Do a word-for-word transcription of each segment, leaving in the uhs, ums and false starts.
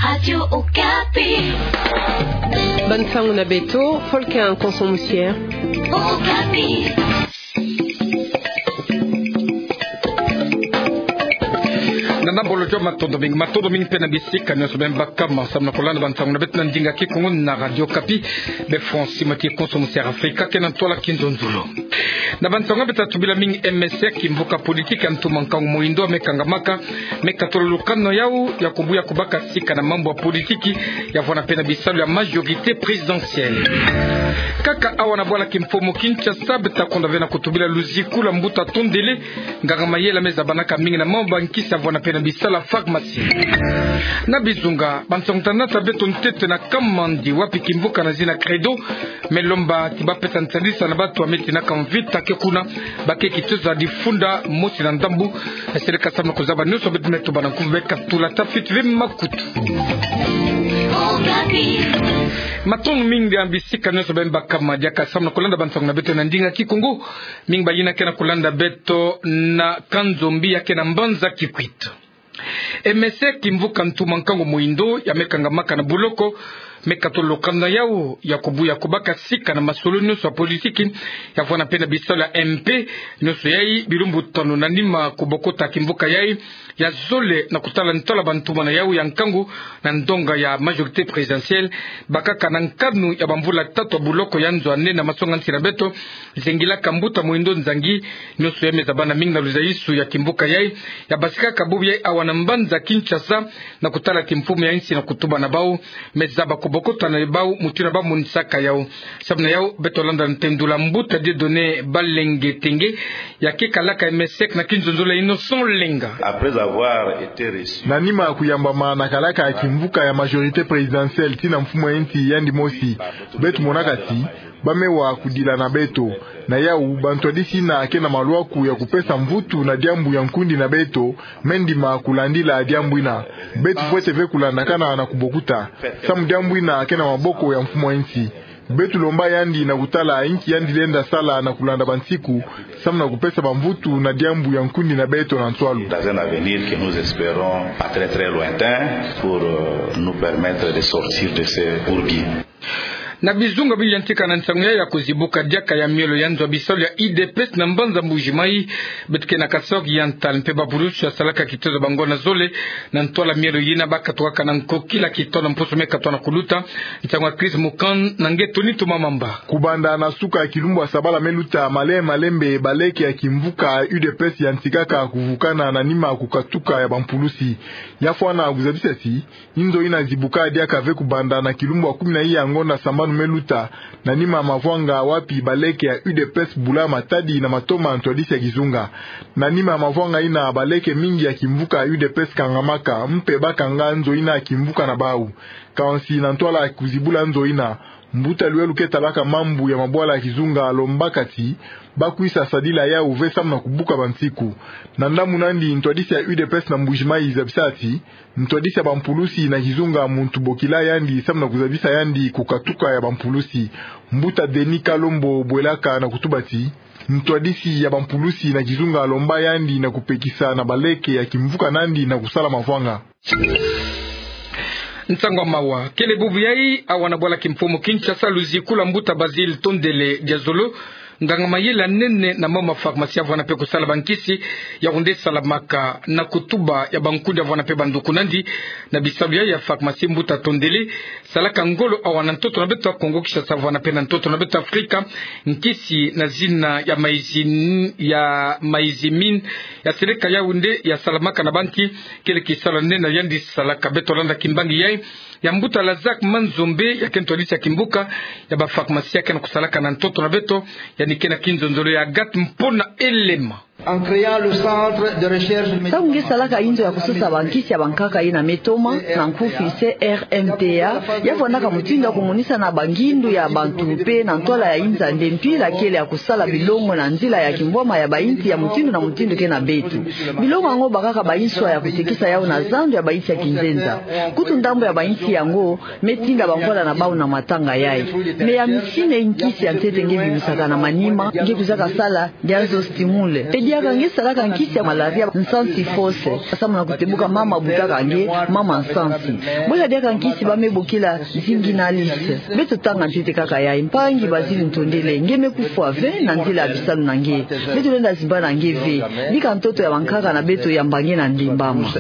Radio Okapi. Bansango na beto, Volker Nkonso Musier. Okapi. Nana bolo jo matondo mingi, matondo mingi mpe na bisika nyonso beno baka ma samu na kolanda bansango na beto na ndinga Kikongo na Radio Okapi. Be Francis Mati Nkonso Musier Afrika ke na ntwala kinzonzolo. Na bansango beto tubila mingi M S C, kimvuka politiki ya ntuma nkangu moyindo me kangamaka, me katola lukano yau ya kubuya kubaka sika na mambu ya politiki, ya vwanda mpe na bisalu ya majorité présidentielle. Kaka awa na bwala kimfumu Kinshasa, beto ta konda ve na kutubila luziku lwa mbuta Tondele, nganga mayela me zabanaka mingi na mambu ya nkisi ya vwanda mpe na bisalu ya pharmacie. Na bizunga, bansango ta nata beto ntete na Kamandi, wapi kimvuka na zina Credo me lomba ti ba pesa nsalisa na bato ya me tinaka mvita ke kuna, ba ke kitoza difunda mosi na ndambu. Seleka samu na kuzaba nyonso beto me tuba na nkumbu, be katula ta fiti ve makutu. Matondo mingi na bisika nyonso beno baka ma diaka samu na kolanda bansango na beto na ndinga Kikongo. Mingi bayina ke na kolanda beto na Kanzombi ya ke na mbanza Kikwit. M S C, kimvuka ntuma nkangu moyindo ya me kangamaka na buloko, me katola lukano yau ya kubuya kubaka sika na masolo nyonso ya politiki, ya vwanda mpe na bisalu ya M P, nyonso yai bilumbu tanu na nima kubokota kimvuka yai ya zole na kutala ntwala bantumana yau ya nkangu na ndonga ya majorité présidentielle, bakaka na nkanu ya bamvula tatu ya buloko ya nzo ya nene ya masonga-nsi na beto, zengilaka mbuta moyindo nzangi, nyonso yai me zabana mingi na luzayisu ya kimvuka yai, ya basikaka bubu yai awa na mbanza Kinshasa, na kutala kimfumu ya nsi na kutuba na bau, me zaba kubokota na bau mutindu ba monisaka yau. Samu na yau, beto landa ntendula mbuta Dieudonné Balenge Tenge, ya ke kalaka M S C na kinzonzolo ya Innocent Lenga. Après avoir été reçu. Na nima kuyambama na kalaka kimvuka ya majorité présidentielle tii na mfumu ya nsi yandi mosi, beto monaka ti ba me wa kudila na beto. Na yau, bantwadisi yina ke na malwaku ya kupesa mvutu na diambu ya nkundi na beto, me ndima kulandila diambu yina. Beto fwete ve kulandakana na kubokuta, samu diambu yina ke na maboko ya mfumu ya nsi. Beto lomba yandi na kutala inki yandi lenda sala na kulanda bansiku, samu na kupesa bamvutu na diambu ya nkundi na beto na nswalu. Dans un avenir que nous espérons pas très, très lointain pour, euh, nous permettre de sortir de ce bourbier. Na bizunga bi yantika na nsangu ya, ya kuzibuka diaka ya miolo ya nzo ya bisalu ya U D P S na mbanza Mbuji-Mayi, beto ke na Kasaï Oriental mpe bapulusi ya salaka kitozo bango na zole na ntwala miolo yina, ba katukaka na nkokila kitono mpusu me katwa na kuluta. Nsangu ya Chris Mukand na nge Tony Tumamamba. Kubanda na suka ya kilumbu ya sabala me luta, male-, malembe baleke ya kimvuka U D P S yantikaka kuvukana na nima kukatuka ya bampulusi. Ya fwana kuzabisa ti inzo yina zibuka diaka ve kubanda na kilumbu ya kumi na iya ngonda sambanu me luta, na nima mavwanga wapi baleke ya U D P S bula matadi na matoma ntwadisi ya kizunga. Na nima mavwanga yina, baleke mingi ya kimvuka U D P S kangamaka, mpe ba kanga nzo yina kimvuka na bau. Kansi na ntwala kuzibula nzo yina, mbuta Luelu ke talaka mambu ya mabwala ya kizunga alombaka ti ba kwisa sadila yau ve samu na kubuka bansiku. Na ndambu nandi, ntwadisi ya U D P S na Mbuji-Mayi zabisa ti ntwadisi ya bampulusi na kizunga muntu bokila yandi samu na kuzabisa yandi kukatuka ya bampulusi. Mbuta Denis Kalombo bwelaka na kutuba ti ntwadisi ya bampulusi na kizunga alomba yandi na kupekisa na baleke ya kimvuka nandi na kusala mavwanga. Nsangu ya mawa. Kele bubu yai, awa na bwala kimfumu Kinshasa, luziku lwa mbuta Basile Tondele Diazolo, nganga mayela nene na mama pharmacie, avwanda mpe kusala bankisi, yau nde salamaka na kutuba ya bankundi, avwanda mpe banduku nandi na bisalu ya, ya pharmacie. Mbuta Tondele salaka ngolo awa na ntoto na beto ya Kongo Kinshasa, avwanda mpe na ntoto na beto ya Afrika, nkisi na zina ya maïzin-, ya maïzimine, ya seleka yau nde ya salamaka na banki. Kele kisalu ya nene yandi salaka. Beto landa kimbangi yai ya mbuta Lazak Manzombe, ya ke ntwadisi ya kimvuka ya bapharmacien, ya ke na kusalaka na ntoto na beto, yandi ke na kinzonzolo ya Agathe Mpona Elema. En créant le centre de recherche médicamenteuse. Ntango nge salaka inzo ya kusosa bankisi ya bankaka yina me toma, na nkufi C R M T A, ya fwanaka mutindu ya kumonisa na bangindu ya bantu mpe na ntwala ya inza nde mpila kele ya kusala bilongo na nzila ya kimbwama ya bainsi ya mutindu na mutindu ke na beto. Bilongo yango bakaka banswa ya kutekisa yau na zandu ya bainsi ya kinzenza. Kutu ndambu ya bainsi yango me tinda bamvwala na bau na matanga yai. Mais ya misine nkisi ya ntete nge bimisaka na manima, nge kwizaka sala diazo stimule. Pe Diaka nge salaka nkisi ya malaria, nsansi fausse. Samu na kutebuka mama butaka nge, mama nsansi. Bwela diaka nkisi ba me bokila zinginnaliste. Beto tanga ntete kaka yayi, mpangi Bazili Ntondele, nge me kufwa ve na nzila ya bisalu na nge. Beto lenda zimba na nge ve. Bika ntoto ya bankaka na beto yamba nge na ndembama.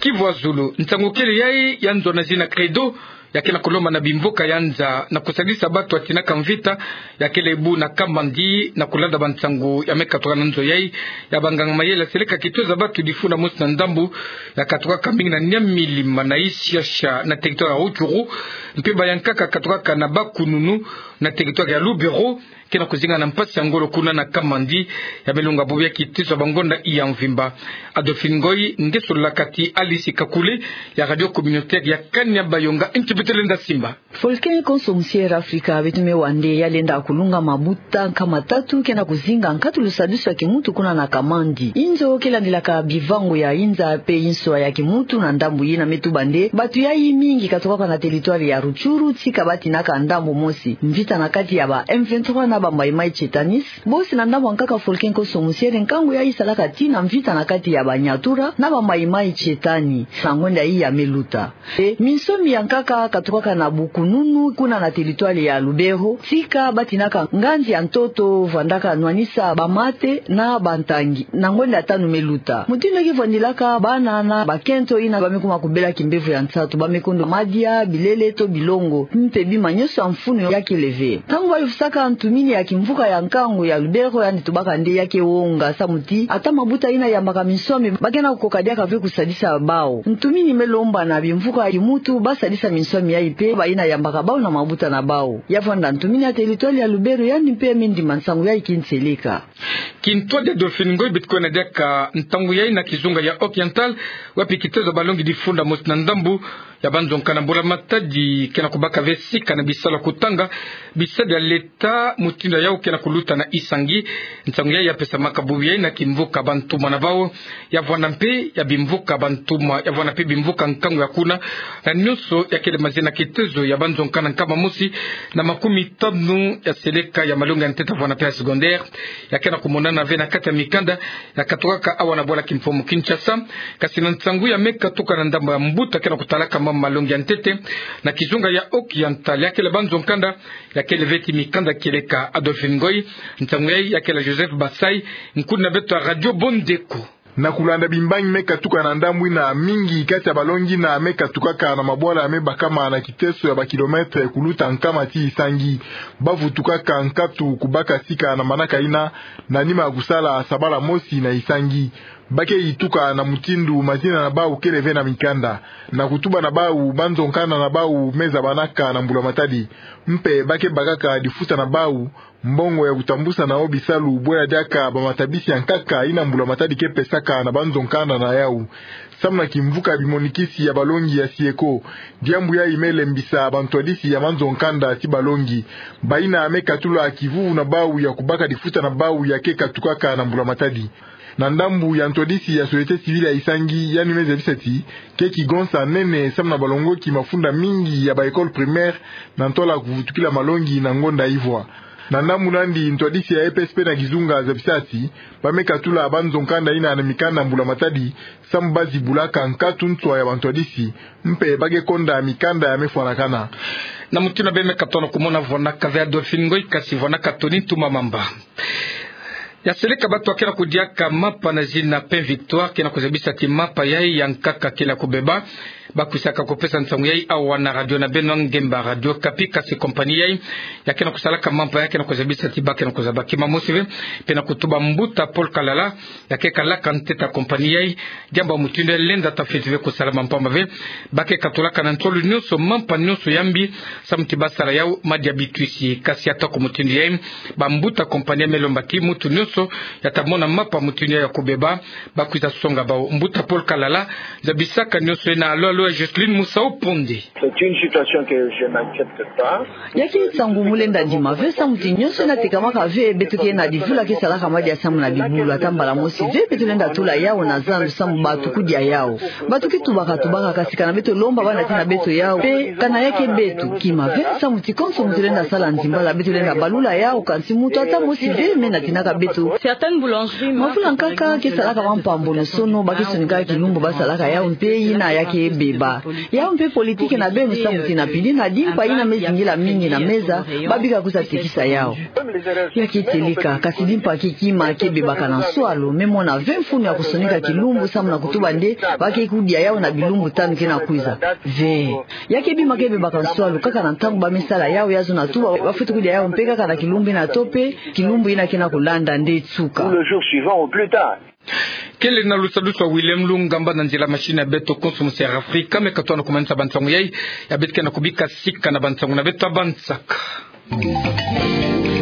Kivu ya zulu, nsangu kele yayi ya nzo na zina Credo, ya ke na kulomba na bimvuka ya nza na kusadisa batu ya tinaka mvita, ya kele bu na Kamandi, na kulanda bansangu ya me katuka na nzo yayi, ya banganga mayele ya seleka kitoza batu difunda mosi na ndambu ya katukaka mingi na Niamey, Lima na Ixia-Ixia na territoire ya Rutshuru, mpe bayankaka katukaka na Bakununu na territoire ya Lubero, ke na kuzinga na mpasi ya ngolo kuna na Kamandi, ya me longa bubu ya kitezo ya bangonda ya mvimba. Adolphine Ngoy, nge solola kati Alice Kakule, ya radio communautaire ya Kanya Bayonga, nti beto lenda simba. Volcan konso musiere Afrika, beto me wa nde ya lenda kulunga mabuta nkama tatu ke na kuzinga nkatu lusadusu ya kimuntu kuna na Kamandi. Inzo ke landilaka bivangu ya inza mpe inswa ya kimuntu na ndambu yina me tuba nde, batu yayi mingi katukaka na territoire ya Rutshuru, tika ba tinaka ndambu mosi mvita na kati ya ba M vingt-trois na ba Mai Mai Chetaniste. Bosi na ndambu ya nkaka Volcan konso musiere, nkangu yayi salaka tii na mvita na kati ya ba Nyatura na ba Mai Mai Chetani, na ngonda yayi ya me luta. E, minsomi ya nkaka katukaka na Bukununu, kuna na territoire ya Lubero, tika ba tinaka nganzi ya ntoto, vwandaka nwanisa bamate na bantangi, na ngonda ya tanu me luta. Mutindu ke vwandilaka bana na bakento yina ba me kuma kubela kimbevo ya nsatu, ba me kondwa madia, bilele to bilongo, mpe bima nyonso ya mfunu ya kele ve. Ntangu ba yufisaka ntumini ya kimvuka ya nkangu ya Lubero, yandi tubaka nde ya ke wonga, samu ti ata mabuta yina yambaka minsomi, ba ke na kukoka diaka ve kusadisa bau. Ntumini me lomba na bimvuka ya kimuntu ba sadisa minsomi yayi mpe bayina yambaka bau na mabuta na bau. Ya vwanda ntumini ya territoire ya Lubero, yandi mpe me ndima nsangu yayi kintieleka. Kintwadi Adolphine Ngoy, beto kwenda diaka ntangu yayi na kizunga ya Oriental, wapi kitezo ya balongi difunda mosi na ndambu ya banzonkana mbula matadi ke na kubaka ve sika na bisalu ya kutanga bisadi ya leta, mutindu yau ke na kuluta na Isangi. Nsangu yayi ya pesamaka bubu yayi na kimvuka bantuma na bau, ya vwanda mpe ya bimvuka bantuma, ya vwanda mpe bimvuka nkangu ya kuna, na nyonso ya kele mazina kitezo ya banzonkana nkama mosi na makumi tanu ya seleka ya malongi ya ntete, vwanda mpe ya secondaire, ya ke na kumonana ve na kati ya mikanda ya katukaka awa na bwala kimfumu Kinshasa. Kasi na nsangu ya me katuka na ndambu ya mbuta ke na kutalaka mama malongi ya ntete na kizunga ya Oriental, ya kele banzonkanda, ya kele ve ti mikanda kieleka. Adolphine Ngoy, nsangu yayi ya kele Joseph Basai, nkuni na beto ya radio Bondeko. Na kulanda bimbangi me katuka na ndambu yina, mingi kati ya balongi yina me katukaka na mabwala ya me bakama na kiteso ya ba kilomètre kuluta nkama ti Isangi. Ba vutukaka nkatu kubaka sika na manaka yina, na nima ya kusala sabala mosi na Isangi. Ba ke yituka na mutindu mazina na bau kele ve na mikanda. Na kutuba na bau, banzonkana na bau me zabanaka na mbula matadi. Mpe ba ke bakaka difuta na bau mbongo ya kutambusa na yo bisalu, bwela diaka bamatabisi ya nkaka yina mbula matadi ke pesaka na banzonkana na yau. Samu na kimvuka bimonikisi ya balongi ya SIECO, diambu yayi me lembisa bantwadisi ya manzonkanda ti balongi, bayina me katula kivuvu na bau ya kubaka difuta na bau ya ke katukaka na mbula matadi. Na ndambu ya ntwadisi ya société civile ya Isangi, yandi me zabisa ti ke kigonsa nene samu na balongoki mafunda mingi ya ba école primaire na ntwala kuvutukila malongi na ngonda ivwa. Na ndambu nandi, ntwadisi ya EPSP na kizunga zabisa ti ba me katula banzonkanda yina na mikanda mbula matadi, samu ba zibulaka nkatu nswa ya bantwadisi, mpe ba ke konda mikanda ya me fwanakana. Na mutindu beno me katona kumona, vwanaka ve Adolphine Ngoy, kasi vwanaka Tony Ntuma Mamba. Ya seleka batu ya ke na kudiaka mapa na zina Pain Victoire ke na kuzabisa ti mapa yayi ya nkaka kele ya kubeba. Ba kwisaka kupesa nsangu yayi awa na radio na beno Ngemba, Radio Okapi, kasi compagnie yayi ya ke na kusalaka mapa yayi ke na kuzabisa ti ba ke na kuzaba kima mosi ve, mpe na kutuba mbuta Paul Kalala, ya ke kalaka ntete ya compagnie yayi, diambu ya mutindu yayi lenda ta fiti ve kusalama mpamba ve. Ba ke katulaka na nsolo nyonso mapa nyonso ya mbi, samu ti ba sala yau madia bitwisi. Kasi ata ku mutindu yayi, bambuta compagnie me lomba ti mutu nyonso nyonso ya ta mona mapa mutindu ya kubeba. Bakwiza songa bau. Mbuta Paul Kalala, zabisaka nyonso ena alo alo ya Jocelyne Musau Ponde. C'est une situation que je n'accepte pas. Ya ke nsangu mu lenda ndima ve, samu ti nyonso ena tekamaka ve, beto ke na divula ke salaka madiasamu na bibulu, ata mbala mosi ve beto lenda tula yau na zandu samu batukudia yau. Bato ke tubaka tubaka, kasi kana beto lomba bana tina beto yau, pe kana ya ke beto kima ve, samu ti konso muntu lenda sala nzimbala, beto lenda balula yau, kansi muntu ata mosi ve me natinaka beto. Certaines boulangeries. Mavula nkaka ke salaka mampambono sono, ba ke sonikaka kilumbu basalaka yau mpe ina ya ke beba. Yau mpe politique na beno, samu ti na pili na dimpa ina me zingila mingi na meza, babika kwiza tekisa yau. Ya ke teleka, kasi dimpa ke kima ke bebaka na nswalu, me mona ve mfunu ya kusonika kilumbu samu na kutuba nde ba ke kudia yau na bilumbu tanu ke na kwiza. Ve. Ya ke bima ke bebaka nswalu, kaka na ntangu ba me sala yau, ya zona tuba ba fweti kudia yau mpe kaka na kilumbu ina to pe kilumbu ina ke na kulanda nde tsuka. Ou le jour suivant au plus tard. Kele na lusalusu wa William Lungamba na nzila machine ya beto konso musi ya Afrika, me ka tuna kumanisa bansangu yai, ya beto ke na kubika sika na bansangu na beto ya bansaka.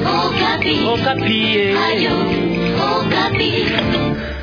Okapi. Okapi, eh. Ayo, Okapi.